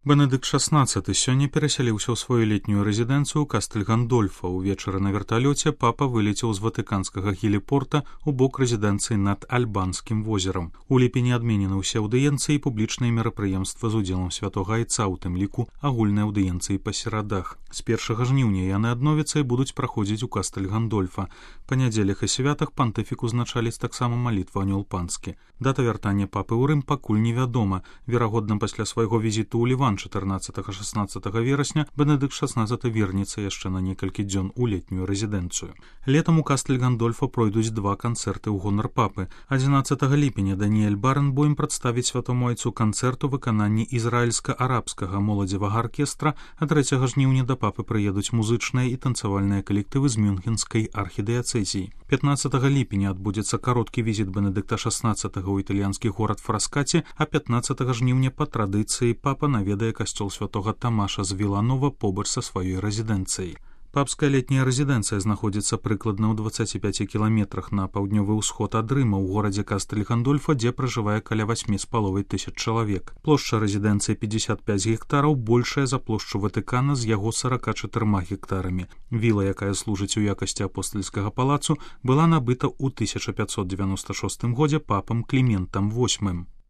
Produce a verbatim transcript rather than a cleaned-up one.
Бенедыкт шаснаццаты сёння перасяліўся ў сваю летнюю рэзідэнцыю Кастэль Гандольфа. Увечары на верталёце папа вылецеў з ватыканскага геліпорта ў бок рэзідэнцыі над Альбанскім возерам. У ліпені адменены ўсе аўдыенцыі і публічныя мерапрыемствы з удзелам святога айца, у тым ліку агульныя аўдыенцыі па серадах. З першага жніўня яны адновяцца і будуць праходзіць у Кастэль Гандольфа. Па нядзелях і святах пантыфік узначаліць таксама малітву анёл панскі. Дата вяртання папы ў Рым пакуль невядома. Верагодна, пасля свайго візіту ў Ліван чатырнаццатага-шаснаццатага верасня Бенедыкт шаснаццаты вернецца яшчэ на некалькі дзён у летнюю рэзідэнцыю. Летам у Кастэль Гандольфа пройдуць два канцэрты ў гонар папы. адзінаццатага ліпеня Даніэль Баренбойм прадставіць святому айцу канцэрт у выкананні ізраільска-арабскага моладзевага аркестра, а трэцяга жніўня да папы прыедуць музычныя і танцавальныя калектывы з мюнхенскай архідыяцэзіі. пятнаццатага ліпеня адбудзецца кароткі візіт Бенедыкта шаснаццатага ў італьянскі горад Фраскаці, а пятнаццатага жніўня па традыцыі папа наведае касцёл святога Тамаша з Віланова побач са сваёй рэзідэнцыяй. Папская летняя рэзідэнцыя знаходзіцца прыкладна ў дваццаці пяці кіламетрах на паўднёвы ўсход ад Рыма ў горадзе Кастэль Гандольфа, дзе пражывае каля васьмі з паловай тысяч чалавек. Плошча рэзідэнцыі пятьдесят пять гектараў, большая за плошчу Ватыкана з яго сорока чатырма гектарамі. Віла, якая служыць у якасці апостальскага палацу, была набыта ў тысяча пятьсот девяносто шостым годзе папам Кліментам восьмым.